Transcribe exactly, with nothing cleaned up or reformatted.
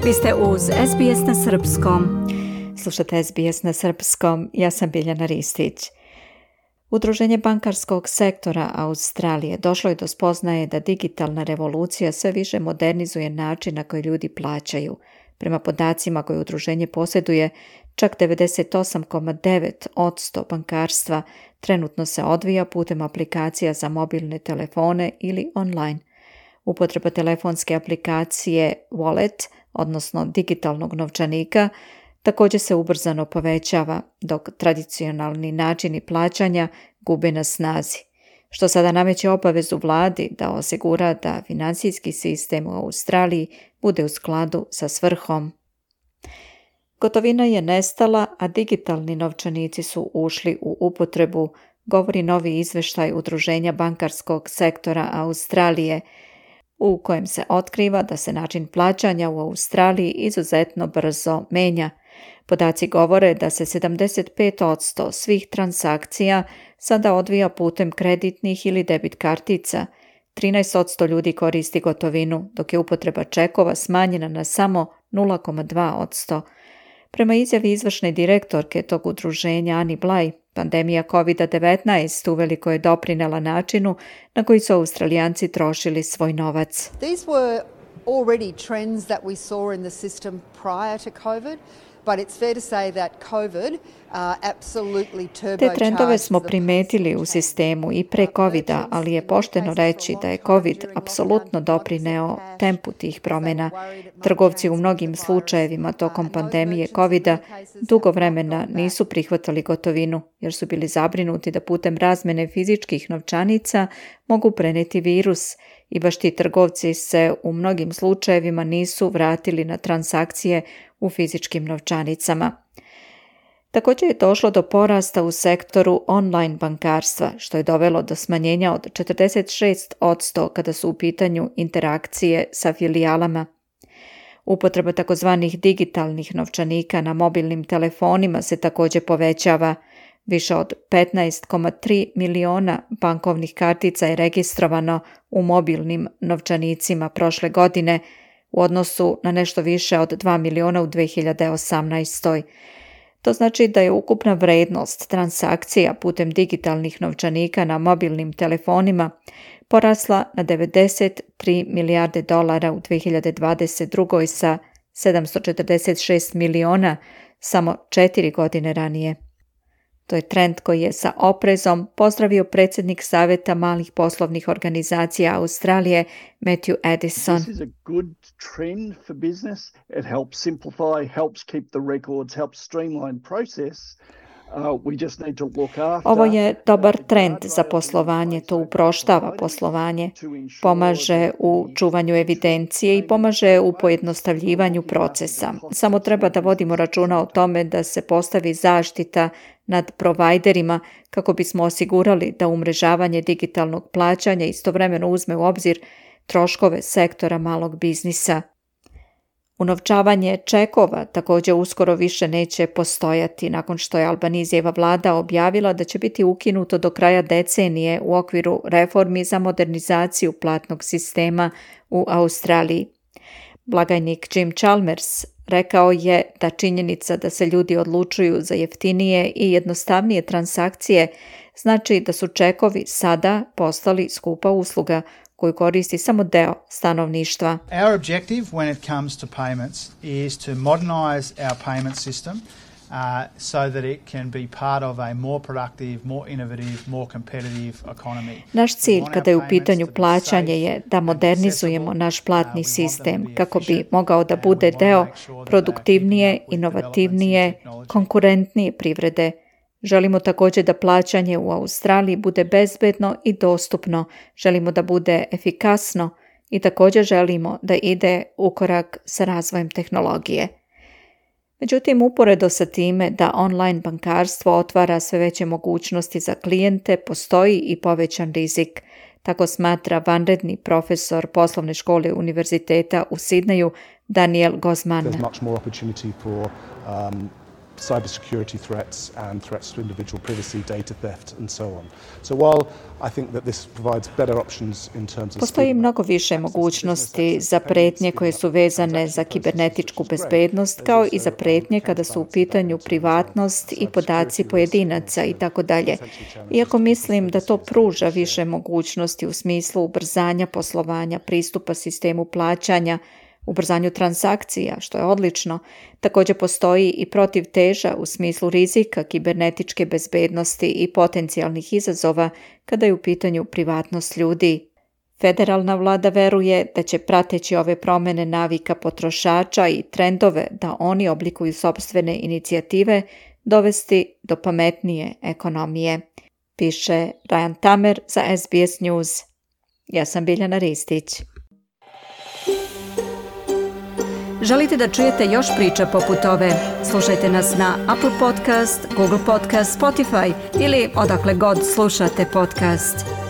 Vi ste uz S B S na srpskom. Slušate S B S na srpskom, ja sam Biljana Ristić. Udruženje bankarskog sektora Australije došlo je do spoznaje da digitalna revolucija sve više modernizuje način na koji ljudi plaćaju. Prema podacima koje udruženje posjeduje, čak devedeset osam zarez devet posto bankarstva trenutno se odvija putem aplikacija za mobilne telefone ili online. Upotreba telefonske aplikacije Wallet, odnosno digitalnog novčanika, također se ubrzano povećava, dok tradicionalni načini plaćanja gube na snazi, što sada nameće obavezu vladi da osigura da financijski sistem u Australiji bude u skladu sa svrhom. Gotovina je nestala, a digitalni novčanici su ušli u upotrebu, govori novi izvještaj Udruženja bankarskog sektora Australije, u kojem se otkriva da se način plaćanja u Australiji izuzetno brzo menja. Podaci govore da se sedamdeset pet posto svih transakcija sada odvija putem kreditnih ili debit kartica, trinaest posto ljudi koristi gotovinu, dok je upotreba čekova smanjena na samo nula zarez dva posto. Prema izjavi izvršne direktorke tog udruženja Ani Blaj, pandemija kovid devetnaest uveliko je doprinela načinu na koji su Australijanci trošili svoj novac. These were already trends that we saw in the system prior to COVID. But it's fair to say that COVID uh, absolutely turbocharged. Te trendove smo primetili u sistemu i pre covida, ali je pošteno reći da je covid apsolutno doprineo tempu tih promjena. Trgovci u mnogim slučajevima tokom pandemije covida dugo vremena nisu prihvatali gotovinu, jer su bili zabrinuti da putem razmene fizičkih novčanica mogu preneti virus, i baš ti trgovci se u mnogim slučajevima nisu vratili na transakcije u fizičkim novčanicama. Također je došlo do porasta u sektoru online bankarstva, što je dovelo do smanjenja od četrdeset šest posto kada su u pitanju interakcije sa filijalama. Upotreba takozvanih digitalnih novčanika na mobilnim telefonima se također povećava. Više od petnaest zarez tri miliona bankovnih kartica je registrovano u mobilnim novčanicima prošle godine, u odnosu na nešto više od dva miliona u dve hiljade osamnaestoj. To znači da je ukupna vrednost transakcija putem digitalnih novčanika na mobilnim telefonima porasla na devedeset tri milijarde dolara u dve hiljade dvadeset drugoj sa sedamsto četrdeset šest miliona samo četiri godine ranije. To je trend koji je sa oprezom pozdravio predsjednik Savjeta malih poslovnih organizacija Australije, Matthew Addison. This is a good trend for business. It helps simplify, helps keep the records, helps streamline process. Uh, we just need to look after. Ovo je dobar trend za poslovanje, to uproštava poslovanje, pomaže u čuvanju evidencije i pomaže u pojednostavljivanju procesa. Samo treba da vodimo računa o tome da se postavi zaštita nad provajderima kako bismo osigurali da umrežavanje digitalnog plaćanja istovremeno uzme u obzir troškove sektora malog biznisa. Unovčavanje čekova također uskoro više neće postojati nakon što je Albanizijeva vlada objavila da će biti ukinuto do kraja decenije u okviru reformi za modernizaciju platnog sistema u Australiji. Blagajnik Jim Chalmers rekao je da činjenica da se ljudi odlučuju za jeftinije i jednostavnije transakcije znači da su čekovi sada postali skupa usluga koju koristi samo deo stanovništva. Our objective when it comes to payments is to modernize our payment system uh, so that it can be part of a more productive, more innovative, more competitive economy. Naš cilj kada je u pitanju plaćanje je da modernizujemo naš platni sistem kako bi mogao da bude deo produktivnije, inovativnije, konkurentnije privrede. Želimo također da plaćanje u Australiji bude bezbedno i dostupno, želimo da bude efikasno i također želimo da ide u korak sa razvojem tehnologije. Međutim, uporedo sa time da online bankarstvo otvara sve veće mogućnosti za klijente, postoji i povećan rizik. Tako smatra vanredni profesor poslovne škole Univerziteta u Sidneju Daniel Gozman. There's much more opportunity for um, cybersecurity threats and threats to individual privacy, data theft and so on. So while I think that this provides better options in terms of Postoji mnogo više mogućnosti za pretnje koje su vezane za kibernetičku bezbednost, kao i za pretnje kada su u pitanju privatnost i podaci pojedinaca i tako dalje. Iako mislim da to pruža više mogućnosti u smislu ubrzanja poslovanja, pristupa sistemu plaćanja, ubrzanju transakcija, što je odlično, također postoji i protivteža u smislu rizika kibernetičke bezbednosti i potencijalnih izazova kada je u pitanju privatnost ljudi. Federalna vlada veruje da će prateći ove promjene navika potrošača i trendove da oni oblikuju sopstvene inicijative dovesti do pametnije ekonomije, piše Ryan Tamer za S B S News. Ja sam Biljana Ristić. Želite da čujete još priča poput ove? Slušajte nas na Apple Podcast, Google Podcast, Spotify ili odakle god slušate podcast.